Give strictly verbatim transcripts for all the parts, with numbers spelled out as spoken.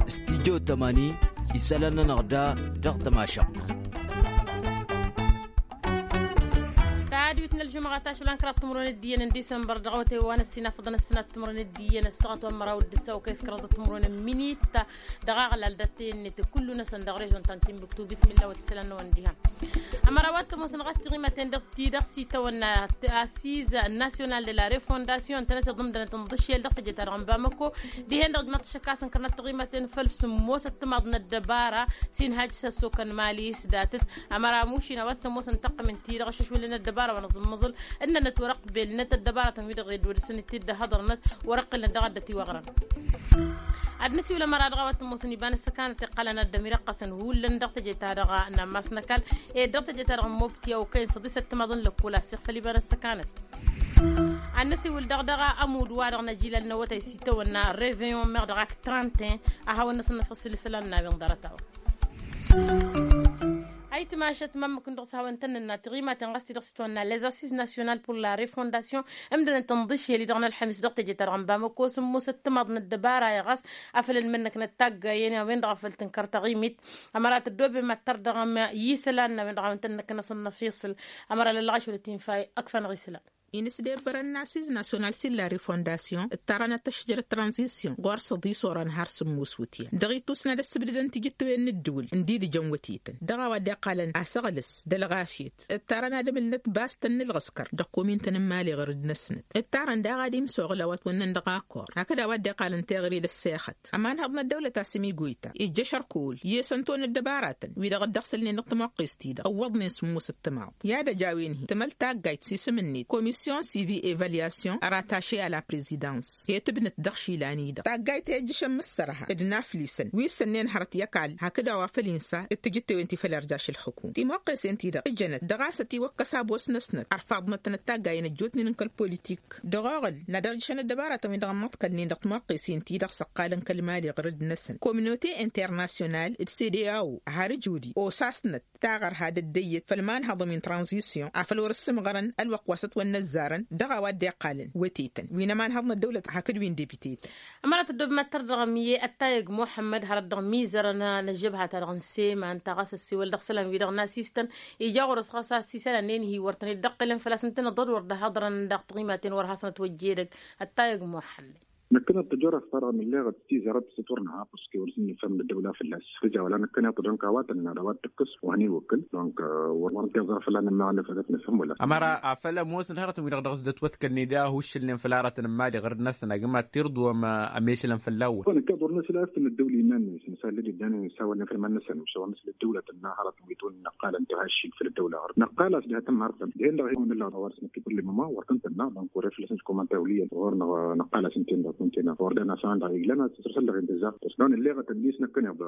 Stidyo tămani isălan-nănăɣ da dăɣ-tămašăɣt. Tadwit n-ălžumăɣa tašlan kăraḍ timǝrwen d-iyyăn n-disămbăr dăɣ-awătay wa n-ăssinafăḍăn ăssinat timǝrwen d-iyyăn ăssaɣăt wa n-măraw d-ǝssa okăy s-kăraḍ timǝrwen n-minit. Dăɣ-aɣlal d-ăttăyăn-net kullu-năsăn dăɣ-režon ta n-timbuktu bismillah wa t-isălan-năwăn diha. Ămăra wa t-ămoosăn ɣas tiɣimaten dăɣ-ti dăɣ-s itawănna asiz nasyonal de la refondasyon ǝntănăt iḍǝmdănăt n-iḍǝššel dăɣ-teje-ta-dăɣ n-bamăko. Dihen-dăɣ ǝjmăɣ tăššăk a-s ǝnkărnăt tiɣimaten făll-sǝmmos ăttămaḍ n-ăddăbara s-inhaj s-ăssokăn mali s-datăt. Ămăra mušin a-wa t-ămoosăn tăqqǝm ǝnta-i-dăɣ ašăšwǝlăn ăddăbara wa n-aẓǝmmăẓǝl ǝnnănăt wăr-ăqbelnăt ăddăbaratăn-wi-dăɣ ed wăr-dăɣ-săn dd-dd-hăḍărnăt wăr-ăqqǝlnăt dăɣ-addăt iwăɣrăn. Ad-nǝsiwǝl ămăra dăɣ-a-wa t-ămoosăn iba n-ăssăkanăt iqqălăn ad-ămirăqqăsăn hullan dăɣ-teje-ta-dăɣ n-ammas n-ăkall ed dăɣ-teje-ta-dăɣ n-mobti a okăyăn săḍis ăttămaḍ n-lăkkol a-s iɣfăl iba n-ăssăkanăt. Ad-nǝsiwǝl daɣ dăɣ-ămudd-wa-dăɣ n-ajilal n-awătay s-itawănna reveyon meɣ dăɣ-ak trente un a hawăn-năsăn năfăssǝl isălan n-a-wen ḍarăt-a-wa. Ayǝtmašăt ma ǝmmǝk-in-dăɣ s-hawăn-tăn-nǝnna tiɣimaten ɣas ti-dăɣ s-itwănna les assises national pour la refondasyon ǝmdănăt ǝnḍǝšel-i-dăɣ n-ălxămis dăɣ-teje-ta-dăɣ n-bamăko sǝmmos ăttămaḍ n-ăddăbara i-ɣas afăl ănmănnăknăt taggayen a-wen-dăɣ a făl tǝnkăr taɣimit. Ămăra tăddoobem ad-tărdăɣăm i-isălan n-a-wen-dăɣ a hawăn-tăn-năknăsăn năfiṣǝl. Ămăra lăllăɣaš wăla t-infa ăkf'-anăɣ isălan. Inǝsdebbărăn n-assiz nasyonal s-illa refondasyon ǝttarăn ad-tăšjăr tranzisyon ɣur-săḍis orăn har sǝmmos wǝtyan dăɣ-ittus n-ad-ăssǝbdădăn tijǝttewen n-ǝddǝwǝl n-idǝjăn wătetăn dăɣ-a-wa dd-iqqalăn asăɣlǝs d-ălɣafyăt. Ǝttarăn ad-ămǝlnăt bastăn n-ǝlɣǝskăr dăɣ-komintăn n-imali ɣur-dd-năsnăt. Ǝttarăn daɣ ad-imsoɣǝl a-wa t-wănnăn dăɣ-akor hakd a-wa dd-iqqalăn teɣăre d-ăssexăt. Ămanhăḍ n-ăddăwlăt a-s ămigoyta ijjăš ărkăwăl i-săn tăwăn ăddăbaratăn wi-dăɣ dd-ăɣsǝlnen dăɣ-timoqqest-i-dăɣ ǝwwăḍnen sǝmmos ăttămaḍ. I-ad-ăj a-wen-hi tǝmăl taggayt s-isǝm-net komisyon sivi evalyasyon rătaše a la prezidans he-tǝbnăt dăɣ-išilan-i-dăɣ taggayt he-ǝjjǝšăn mǝssărha d-inaflisăn wi ǝssănnen hărăt i-ăkall hakd a-wa făl insa d-tijǝttewen ti făll-irjaš ǝlxǝkum timoqqesen-ti-dăɣ ǝjănăt dăɣ-a-s ătiwăkkăs abos-năsnăt ărfaḍnăt-tănăt taggayen ăjjootnen n-kăl-politik. Dăɣ-oɣǝl n-ad-irjǝšăn ăddăbaratăn-wi-dăɣ ămmăḍkălnen dăɣ-timoqqesen-ti-dăɣ s-ăqqalăn kăl-mali ɣur-dd-năsăn kominote internasyonal d-cdao har ǝjudi osasnăt taɣărha d-ăddăyyăt făll-imanhăḍăn wi n-tranzisyon afăl wăr-ǝssǝmɣărăn ălwăqq wa s-ătwănnăzzarăn dăɣ-a-wa dd-iqqalăn wătetăn wi n-ămanhăḍ n-ăddăwlăt hakd wi n-debitetăn. Ămăra tăddobem ad-tărdăɣăm i-ăttayăg muḥămmăd hărăt dăɣ-mizărăn n-ăžžăbha-ta-dăɣ n-seman ta ɣas ăssiwăl dăɣ-isălan-wi-dăɣ n-asistăn ija ɣur-s ɣas a-s isălan-en-hi wăr tăn-dd-ăqqǝlăn făl-a-s ǝntăneḍ dd-wăr dd-hăḍrăn dăɣ-tiɣimaten wăr hasăn-ătwăjjedăg. Ăttayăg muḥămmăd. Năkkăneḍ tăjorăt fărăɣ n-illeɣăt tizărăt s-ătwărnăha păske wăr s-nǝfhăm d-ăddăwla fălla-s. Ija wăla năkkăneḍ dănk a-wa tăn-năra a-wa t-tǝkkǝs wa n-iwǝkkǝl dănk wăr tăn-teẓra fălla-nănn ma n-efădăt nǝfhăm wăla. Ămăra afăl ămoosăn hărătăn-wi-dăɣ dăɣ-s dd-ătwătkălnen da huššǝlnen făll-aratăn n-imali ɣur-dd-năsăn agǝm ad-tirḍǝwăm ămešălăn fălla-wăn. Năkkăneḍ wăr năsǝl a-s tăn-ăddăwla iman-năsăn isallăd iddăn isawălnen făll-iman-năsăn isawălnen făll-ăddăwlăt ănna hărătăn wi t-wăr năqqalăn tăhaššig făll-ăddăwla ɣur-dd năqqal a-s diha tămhartăn dihen-dăɣ ihawăn ǝllan a-wa dăɣ-s năkk ikulli măma wăr tăn-tănna dăɣ-n kure făll-asăn s-komănta wăl' iyyăn ɣur-năɣ năqqal a-s ǝnta-en dăɣ-tăn-tena ɣur-dd-ănn a-s a-wen-dăɣ iglăn a-s tăsrăsăl dăɣ-en tǝzzar tăsnăɣ n-ǝlleɣăt ăllis năkkăneḍ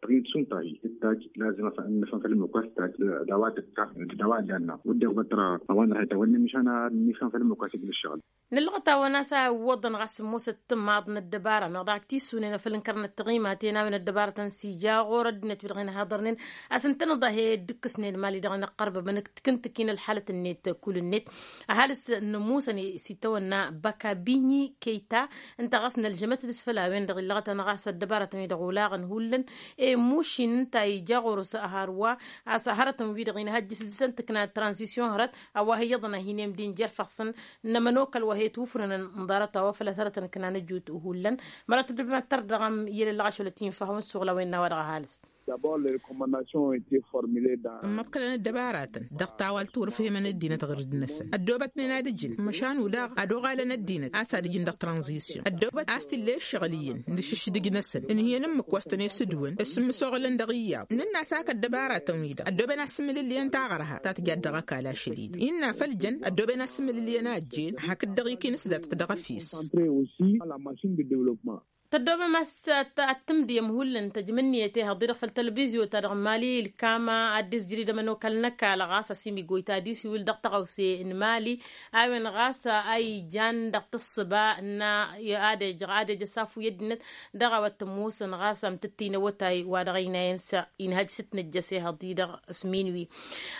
tăɣint šund ta-hi tǝttaj lazǝm a-s ad-nǝfhăm făll-ămmǝk wa s-tǝttaj d-a-wa tǝttaj d-a-wa ǝllan-năɣ wădden ɣǝbăt tăra a-wa n-ăhăyta wănna mišan ad-nǝfhăm făll-ămmǝk wa s-igl' ǝššăɣǝl. Nǝllăɣăt-awăn a-s a iwwăḍăn ɣas sǝmmosăt timaḍ n-ăddăbara meɣ daɣ ak tissunen afăl ǝnkărnăt tiɣimaten a-wen ăddăbarătăn s-ija ɣur-ăddinăt wi-dăɣ inhăḍărnen a-s ǝntăneḍ a he-dd-ǝkkǝsnen mali-dăɣ inăqqărbăbăn ǝkk-tǝkǝntǝk-in ălxalăt-net. Kull-net ăhalǝs n-ămuusăn s-itawănna băkabinyi keyta ǝnta ɣas nălžămăt dăɣ-s făll-a-wen-dăɣ illăɣătăn ɣas ăddăbarătăn-wi-dăɣ olaɣăn hullan i-mušin ǝnta ija ɣur-s hărwa a-s hărătăn-wi-dăɣ inhăjjǝs dăɣ-săn tǝkna tranzisyon hărăt a-wa hi-iyyăḍăn a hin-emdin jer-făɣ-săn n-ămănokăl wa he-tufrănăn n-ḍarăt-a-wa făl-a-s hărătăn ǝknan ăjut hullan. Mărăt dd-măttăr dăɣ-am i-lăllăɣ ašăl ătinfăhăwăn suɣǝl a-wen n-a-wa dăɣ-ăhalǝs. Ǝmmăḍkălăn ăddăbaratăn dăɣ-tawalt wăr-ǝfhemăn ăddinăt ɣur-dd-năsăn ăddoobătnen ad-ǝjǝn măšan udaɣ ad-oɣalăn ăddinăt a-s ad-ǝjǝn dăɣ-tranzisyon ăddoobăt a-s t-illa i-ǝššăɣǝl iyyăn d-ašǝšdǝj-năsăn ǝnhǝyăn ǝmmǝk wa s-tăn-e-sǝdwǝn s-ǝmmǝsoɣǝlăn dăɣ-iyyăḍ nǝnn'-as hak ăddăbaratăn-wi-dăɣ ăddooben a-s ǝmmǝlǝllǝyăn taɣărha ta tǝjat dăɣ-ăkall ašăl-i-dăɣ innă făll-jăn ăddooben a-s ǝmmǝlǝllǝyăn a ăjjeen hakd dăɣ-ikinǝs datăt dăɣ-efes. Tăddoobăm a-s ad-tǝmdǝyăm hullan tăjmǝnniyăt ehăḍ-i-dăɣ făll-telebizyo-ta-dăɣ n-mali ilkam ad-dd-isjăr idămăn okal n-ăkall ɣas asimigoy ta ad-isiwǝl dăɣ-tăɣawse n-mali a-wen ɣas a ijan dăɣ-tǝssǝba n-ad-ejăɣ ad-ejăɣ s-afu i-ăddinăt dăɣ-a-wa t-ămoosăn ɣas amtǝttǝy n-awătay wa dăɣ-ăynayăn s-inhăj s-ǝtnăjjăs ehăḍ-i-dăɣ s-minwi.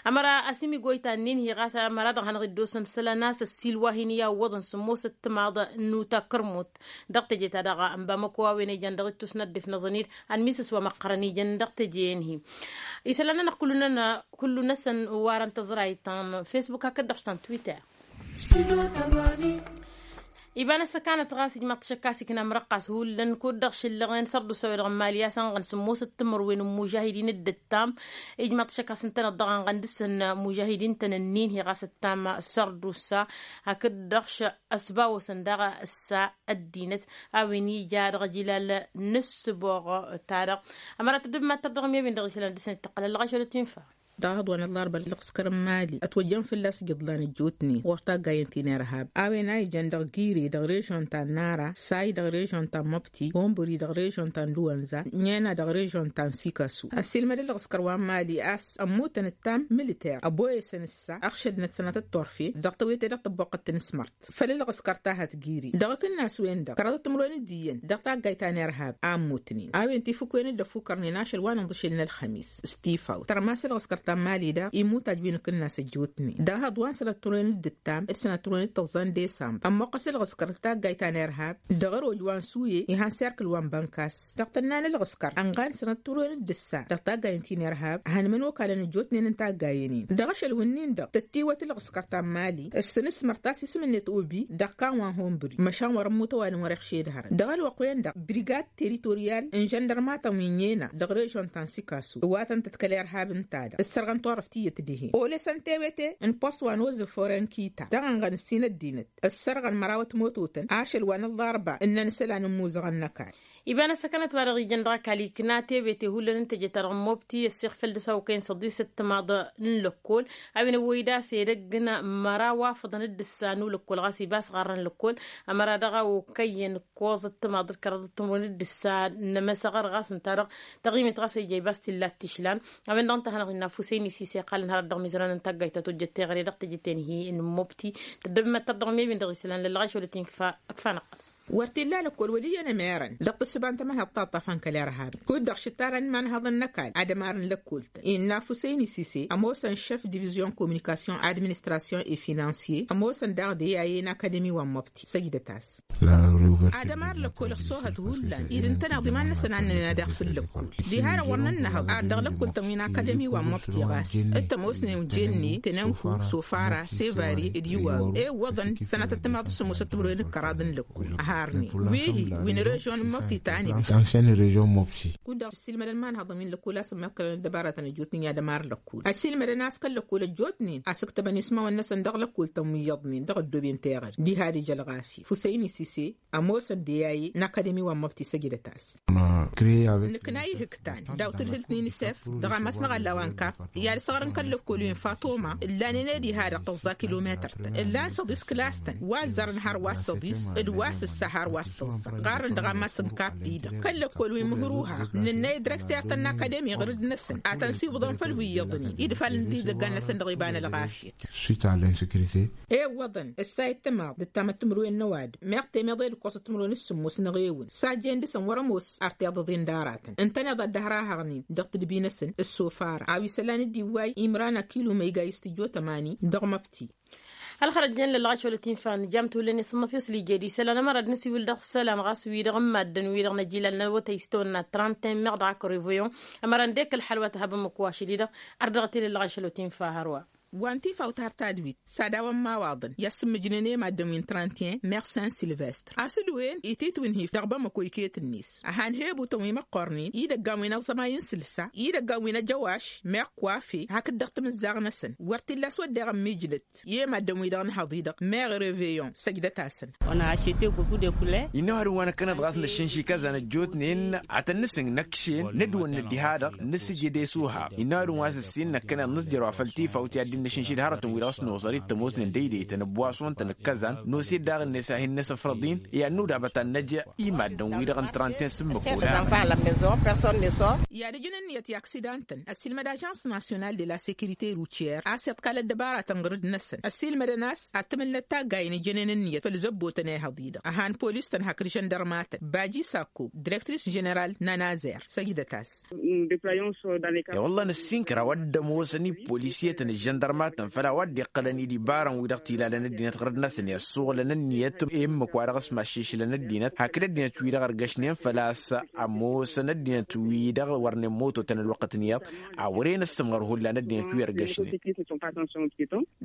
Ămăra asimigoy ta ǝnnin-hi ɣas ămăra dăɣ-hanăɣ-dd-osăn isălan a-s ăssiilwa hin-iyyawwăḍăn sǝmmosăt timaḍ n-uta kărmut dăɣ-teje-ta-dăɣ n-bamăko a-wen ijan dăɣ-ittus n-ăddif n-aẓănid ănmisǝs wa măqqărăn ijăn dăɣ-teje-en-hi. Isălan-nănăɣ kullu-năsăn warăn tăẓrayt ta n-facebook hakd-dăɣ ta n-twitter. Iba n-ăssăkanăt ɣas ijmaḍ-t ašăk a-s ikna amrăqqas hullan kud-dăɣ šǝllăɣen sărdusa-wi-dăɣ n-mali a-s ănɣăn sǝmmosăt timǝrwen n-imužahidin d-ǝttam. Ijmaḍ-t ašăk a-s ǝntăneḍ dăɣ-anɣăn dăɣ-săn imužahidin-tăn ǝnnin-hi ɣas ǝttam sărdusa hakd-dăɣ š-ăsbawăsăn daɣ ǝssa ăddinăt a-wen ija dăɣ-ajilal n-ǝssǝboɣ-ta-dăɣ. Ămăra tăddobem ad-tărdăɣăm i-a-wen dăɣ-isălan dăɣ-săn ităqqălăn lăɣaš wăla tinfa. Dăɣ-ehăḍ wa n-ăllarba ălɣǝskăr n-mali ătwăjjăn fălla-s ijǝḍlan ăjjootnen ɣur-taggayăn ti n-irhab a-wen a ijăn dăɣ-gire dăɣ-režon ta n-nara say dăɣ-režon ta n-măbti hombări dăɣ-režon ta n-luwănza ǝnnena dăɣ-režon ta n-sikasu. Ăssiilmăd ălɣǝskăr wa n-mali a-s ămmutăn ǝttam militer ăboyăsăn ǝssa ăɣšădnăt sănatăt turfen dăɣ-tewete dăɣ-tăbboqqăt tinǝsmărt făll-ălɣǝskăr ta hătgiri dăɣ-akǝnnas-wen-dăɣ kăraḍăt timǝrwen d-iyyăn dăɣ-taggayt ta n-irhab a ămmutnen a-wen tifǝkwen dd-ăffukărnen ašăl wa n-inḍǝšel n-ălxămis s-tifawt tărmas ălɣǝskăr ta n-mali daɣ imutaj wi n-akǝnnas ăjjootnen dăɣ-ehăḍ wa n-sănat timǝrwen d-ǝttam d-sănat timǝrwen d-tăẓẓa n-desambăr ămmuqqăs ălɣǝskăr d-taggayt ta n-irhab dăɣ-ăroj wa n-suye ihan s-irkǝl wa n-bănkas dăɣ-tǝnna n-ălɣǝskăr ănɣan sănat timǝrwen d-ǝssa dăɣ-taggayt n-ti n-irhab ăhăn imănokalăn ăjjootnen n-taggayen-in dăɣ-ašăl wǝnnin-dăɣ tăttiwăt ălɣǝskăr ta n-mali s-tinǝsmărt a-s isǝm-net obi dăɣ-kawan hunbri măšan wăr-ămmutăwalăn wăr-iɣšed hărăt dăɣ-ălwăqq-wen-dăɣ brigad teritoryal n-žăndărmatăn wi n-ena dăɣ-režon ta n-sikasu ăwatăn-tăt kăl-irhab ǝnta-dăɣ ǝssărɣăn turăft tiyyăt dihen olăsăn tewete n-post wa n-ozǝf orenkita dăɣ-ănɣăn ǝssin ăddinăt ǝssărɣăn mărawăt mototăn ašăl wa n-ăllarba ǝnnăn isălan n-imuzăɣăn n-ăkall. Iba n-ăssăkănăt wa dăɣ-ijăn dăɣ-ăkall ikna tewete hullan n-teje-ta-dăɣ n-mobti ăssiɣ făll-dăɣ-s a okăyăn săḍisăt timaḍ n-lăkkol a-wen ăwwăy-dd a-s edăgg n-măraw afăḍăn d-ǝssa n-ulăkkol ɣas iba a-s ɣarrăn lăkkol ămăra dăɣ-a okăyăn ǝkkoẓăt timaḍ d-kăraḍăt timǝrwen d-ǝssa n-emăsăɣăr ɣas ǝnta-dăɣ taɣimit ɣas ija iba a-s t-illa t-išlan. A-wen-dăɣ ǝnta a hanăɣ-innă ăfuseyn isise iqqalăn hărăt dăɣ-imizăran n-taggayt ta tojjăt teɣăre dăɣ-teje-ten-hi n-mobti. Tăddăbem ad-tărdăɣăm i-win-dăɣ isălan lăllăɣaš wăla t-infa ǝkfa n-ăqqăl. Wăr t-illa lăkkol wăl' iyyăn ămerăn dăɣ-tǝssǝba n-tămăhăḍt ta ăṭṭafăn kăl-irhab kud-dăɣ šǝttarăn imanhăḍăn n-ăkall ad-ămarăn lăkkoltăn innă ăfuseyn isise ămoosăn šef divizyon kominikasyon administrasyon e finansye ămoosăn daɣ deyaye n-akademi wa n-măbti săjdăt-as. Ad-ămar lăkkol ăṣṣoohăt hullan id-ǝntăneḍ iman-năsăn ad-nǝnna daɣ făll-lăkkol diha-dăɣ wăr nănnăhăḍ ar dăɣ-lăkkol-tăn wi n-akademi wa n-măbti ɣas t-ămoosnen jenne tenănku sofara sevari d-iwaw e ǝwwăḍăn sănatăt timaḍ s-sǝmmosăt timǝrwen d-kăraḍ n-lăkkol ăharnen wi-hi wi n-režyon n-măbti ta n-ibda. Kud-dăɣ ăssiilmădăn imanhăḍăn wi n-lăkkol a-s ămmiḍkălăn ăddăbaratăn ăjjootnen i-ad-ămar lăkkol ăssiilmădăn a-s kăl-lăkkol ăjjootnen a-s ǝktăbăn ismawăn-năsăn dăɣ-lăkkol-tăn wi iyyăḍnen dăɣ-ăddooben teɣăre diha d-ija ălɣafyăt fusăyni sise ămoosăn deyaye n-akademi wa n-măbti săjdăt-as. Nǝkna ihǝktan daw-tǝdhǝlt n-inisef dăɣ-amas n-aɣălla wa n-kap i-ad-săɣrăn kăl-lăkkol wi n-fatoma ǝllanen ed iha-dăɣ tăẓẓa kilometăr-tăn ǝllan săḍis kǝlas-tăn wa ăzzarăn har wa s-săḍis d-wa s-ǝssa har wa s-tăẓẓa ɣarrăn dăɣ-amas n-kap-i-dăɣ kăl-lăkkol wi n-mǝhruha nǝnnăy dirăkter-tăn n-akademi ɣǝrǝd-năsăn ad-tăn-siwǝḍăn făll-wi iyyăḍnen idfalăn d-idăggan-năsăn dăɣ-iba n-ălɣafyăt. Ewwăḍăn ǝssayăt timaḍ d-ǝttamăt timǝrwen n-ăwadǝm meɣ temeḍe d-ǝkkoẓăt timǝrwen s-sǝmmos n-aɣewǝn sajjen dăɣ-săn wăr-ămoos ar tiḍăḍen d-aratăn ǝntăneḍ ad-dd-ăhrahăɣnen dăɣ-tǝdbi-năsăn ǝssofara a-wa isălan d-iwway imran akilu ma iga istijjo tămani dăɣ-măbti. Ălxărăt jăn lălɣaš wăla t-infa nǝjam tolăne s-ănnăf i-s lijed isălan ămăra d-nǝsiwǝl dăɣ-isălan ɣas wi-dăɣ n-maddǝn wi-dăɣ n-ajilal n-awătay s-tawănna trănten meɣ dăɣ-akăr evoyon ămăra ăndek ălxăl wa t-hăbăm ăkwašăl-i-dăɣ. Ar dăɣ-t-ila ălɣaš wăla t-infa hărwa. Wa n-tifawt har tadwit s-ad-awăn imawaḍăn i-ad-sǝmmǝjnen i-maddǝn wi n-trăntiyen meɣ sen silvestr a-s ǝdwen ititwǝnhi dăɣ-bamăko iket-net ăhanhebutăn wi măqqornen idăggan wi n-aẓămay n-sǝlsa idăggan wi n-ajăwaš meɣ kwafe hakd dăɣ-timǝzzaɣ-năsăn wăr t-illa a-s wădden ămmijlăt i-maddǝn wi-dăɣ n-hăḍ-i-dăɣ meɣ reveyon săjdăt-asăn. Innă ăwadǝm wa năkkăneḍ ɣas năššǝnšik ăzzan ăjjootnen ad-tăn-nǝsǝng năkšen nǝdwănnăt diha-dăɣ nǝsǝjǝd i-suha innă ăwadǝm wa s-ǝssin năkkăneḍ nǝsjăr wa făll-tifawt i-ad-dd-in Nǝšǝnšǝd hărătăn-wi-dăɣ s-noẓăr-dd tămoosnen d-eydeytăn ăbbuwaswăn-tăn ǝkkăzan n-oseddaɣ-net a hin-nǝsǝfrăḍ-in i-ad-nǝwdabăt ad-năj imaddăn-wi-dăɣ n-trănten s-ǝmmǝk. I-ad-ǝjǝn ǝnniyăt i-aksidan-tăn ăssiilmăd ažans nasyonal de la sekirite rutyyer a-s iḍkal ăddăbaratăn ɣǝr-dd-năsăn ăssiilmădăn a-s ad-tǝmǝlnăt taggayen ǝjănen ǝnniyăt făll-zăbbotăn ehăḍ-i-dăɣ ăhan polis-tăn hakd žăndărma-tăn baji sakko direktris ženeral n-anazer săjdăt-as. I-wălla nǝssinkăr a-wa dd-ămoosăn i-polis i-tăn ăžžăndărma-tăn făll-a-wa dd-iqqălăn i-dibarăn-wi-dăɣ t-ilalăn ăddinăt ɣǝr-năsăn i-ăssuɣǝlăn ǝnniyăt i-ǝmmǝk wa dăɣ-s maššišǝlăn ăddinăt hakd ăddinăt-wi-dăɣ ărgăšnen făl-a-s ămoosăn ăddinăt-wi-dăɣ wărnen mototăn ălwăqqăt n-iyyăḍ. A wăren ăssǝmɣăr hullan ăddinăt wi ărgăšnen.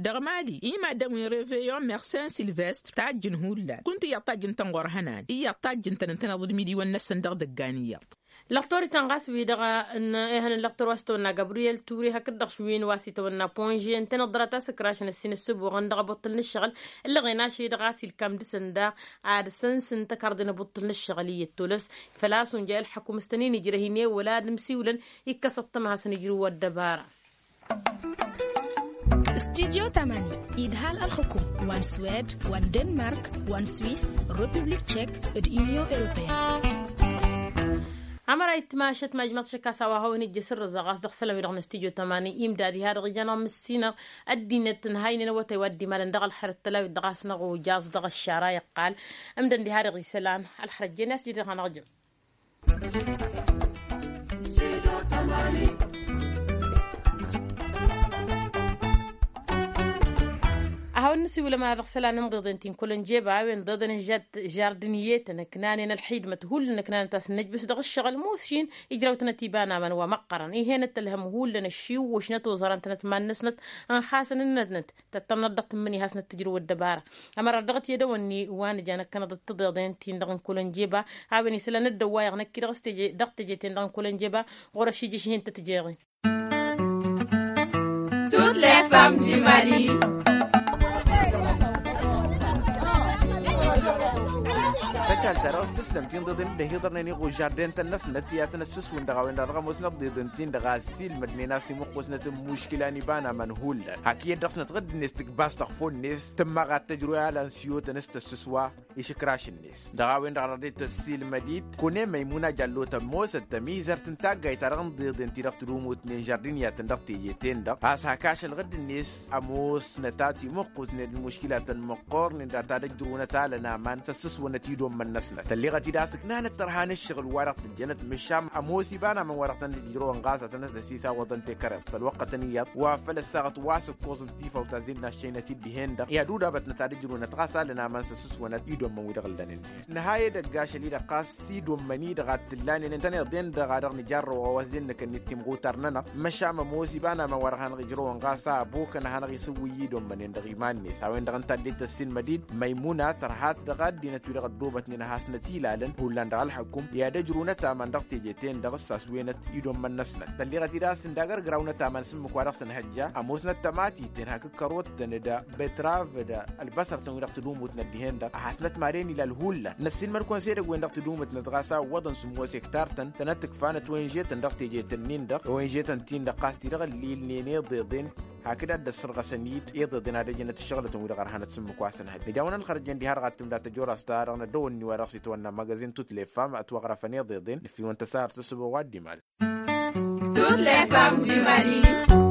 Dăɣ-mali i-maddǝn wi n-reveyon mersen silvestr tajjǝn hullan kunta iyyăḍ tajjǝn-tăn ɣur-hănan iyyăḍ tajjǝn-tăn ǝntăneḍ d-imidiwăn-năsăn dăɣ-idăggan iyyăḍ. Lăqtor itănɣas-wi-dăɣ n-ehăn n-lăqtor wa s-tawănna gabriyel ture hakd-dăɣ šwin wa s-itawănna ponže ǝntăneḍ dăr-a tasǝkrašăn ăssin ǝssǝbuɣăn dăɣ-abuṭṭǝl n-ǝššăɣǝl. Ǝllăɣen ašăl-i-dăɣ a-s ilkam dăɣ-săn daɣ ad-săn-sǝnta kardăn abuṭṭǝl n-ǝššăɣǝl iyyăt tolăs făl-a-s unja i-ălḥăkum s-tăn-in ijrăh-in i-wăla ad-ǝmsiwlăn. Ikkăs ăṭṭăma hasăn-ijrǝw ăddăbara. Studyo tamani idhal ălxukum wa n-swed wa n-denmark wa n-swis, republik tšek d-inyon europeyăn. Amăra itmašăt majmăḍ šăkkas a-wa hawăn-ijjăs ǝrrǝẓăɣ a-s dăɣ-isălan-wi-dăɣ n-studyo tamani imdad iha-dăɣ ijan ămǝssinăɣ ăddinăt n-haynen awătay wa dd-imalăn dăɣ-ălxer d-tălawit dăɣ-a-s năɣujjaẓ dăɣ-ăššara iqqal. Ǝmdăn diha-dăɣ isălan ălxărăt jen i-a-s jidăɣ hanăɣ-jăm. Ad-hawăn-nǝsiwǝl ămăra dăɣ-isălan n-iḍeḍen ti n-kăl-ănjeba a-wen ǝḍeḍen n-žardǝniyetăn ǝknanen ălxidmăt hullan ǝknanăt a-s nǝjbǝs dăɣ-ǝššăɣǝl mušin ijrawtnăt iba n-aman wa măqqărăn ih'-enăt tălhăm hullan ăššiwwǝšnăt oẓărăn-tănăt iman-năsnăt. Ănxasăn ǝnnătnăt tăttămnăt dăɣ-tǝmmǝni hasnăt tǝjrǝw ăddăbara. Ămăra dăɣ-t i-ad-ăwănni wa nǝja năkkănăḍ d-tiḍeḍen-tin-dăɣ n-kăl-ănjeba a-wen isălan dd-ăwwayăɣ năkk-i-dăɣ s-teje-ten-dăɣ n-kăl-ănjeba. Ɣur-ăšijǝš-hin-tăt-jeɣen. Toutes les femmes du mali. Tăkalt-ta-dăɣ s-tǝslăm-t inḍeḍen dd-ăhiḍărnen iɣužarden-tăn-năsnăt i-ad-tăn-ăssǝswǝn dăɣ-a-wen-dăɣ dăɣ-ămoosnăt d-iḍen-tin-dăɣ a ăssiilmădnen a-s timuqqusnăt n-imuškǝla n-iba n-aman hullan hak iyyăt dăɣ-snăt ɣǝdd-net tǝkbas tăɣfo-net tǝmmaɣ ad-tăjrǝw i-alan s-iyyotăn s-tăssǝswa. Išǝkraš-net dăɣ-a-wen-dăɣ dăɣ-dd-tăssiilmăd-dd kăwăn-e măymuna jallo tămoosăt tămizărt n-taggayt-ta-dăɣ n-iḍeḍen-ti-dăɣ tǝdumutnen žardǝniyatăn dăɣ-teje-ten-dăɣ a-s hak ašăl ɣǝdd-net ămoosnăt a timǝqqutnen d-imuškilatăn măqqoornen dăɣ-ta d-ăjrǝwnăt alăn aman s-ăssǝswănăt idommăn-năsnăt tălleɣăt-dd a-s ǝknanăt tărha n-ǝššăɣǝl-wa-dăɣ tǝjjănăt mǝššam ămoos iba n-aman wa-dăɣ tăn-dd-ǝjrăwăn ɣas ad-tăn-ăssisawăḍăn tekăreḍt făll-wăqqătăn iyyăḍ wa făl ăssaɣăt wa s-ǝkkoẓ n-tifawt a-s dd-naššăynăt-dd dihen-dăɣ i-ad-udabătnăt ad-ǝjrǝwnăt ɣas alăn aman s-ăssǝswănăt idommăn-wi-dăɣ ǝllan-en. Nǝha edăgg ašăl-i-dăɣ ɣas idommăn-i-dăɣ ad-t-ǝllanen ǝntăneḍ-en-dăɣ a dăɣ-nǝjarrăw a-wa s-dd-nǝkănnit timɣutar-nănăɣ măšan ămoos iba n-aman wa dăɣ-hanăɣ-ijrăwăn ɣas a ăbokăn ad-hanăɣ-isǝwwǝy idommăn-en-dăɣ iman-net a-wen-dăɣ ǝnta a dd-tăssinmăd-dd măymuna tărhat dăɣ-ăddinăt wi-dăɣ ăddoobătnen ad-hasnăt-ilalăn hullan dăɣ-ălḥăkum i-ad-ăjrǝwnăt aman dăɣ-teje-ten-dăɣ s-aswenăt idommăn-năsnăt tălleɣăt-dd a-s ǝndag ărgrawăn ătaman s-ǝmmǝk wa dăɣ-săn hăjja ămoosnăt tămatiten hakd kărottăn d-betrav d-ălbăsăr-tăn wi-dăɣ tǝdumutnăt dihen-dăɣ ad-hasnăt madăn ilal hullan năssiinmăd-kăwăn s-edăgg-wen-dăɣ tǝdumǝtnăt ɣas a ǝwwăḍăn sǝmmos hektar-tăn tănăt-tǝkfanăt wenže-tăn dăɣ-teje-tăn-in-dăɣ wenže-tăn-tin-dăɣ ɣas ti-dăɣ ǝllilnen iḍeḍen hakd ad-dd-ăssărɣăsăn-dd iḍeḍen ad-ăjnăt ǝššăɣlătăn wi-dăɣ ărhanăt s-ǝmmǝk wa săn hăjja nǝja a-wen ălxărăt jen diha-dăɣ ad-tǝmda tăjorăst-ta-dăɣ năddăwănni wa dăɣ-s itwănna magazin tut lefam ătwăɣrăfăn iḍeḍen nǝffiwăn tăsarăt ăsăboɣ wa dd-imal. Toutes les femmes du mali.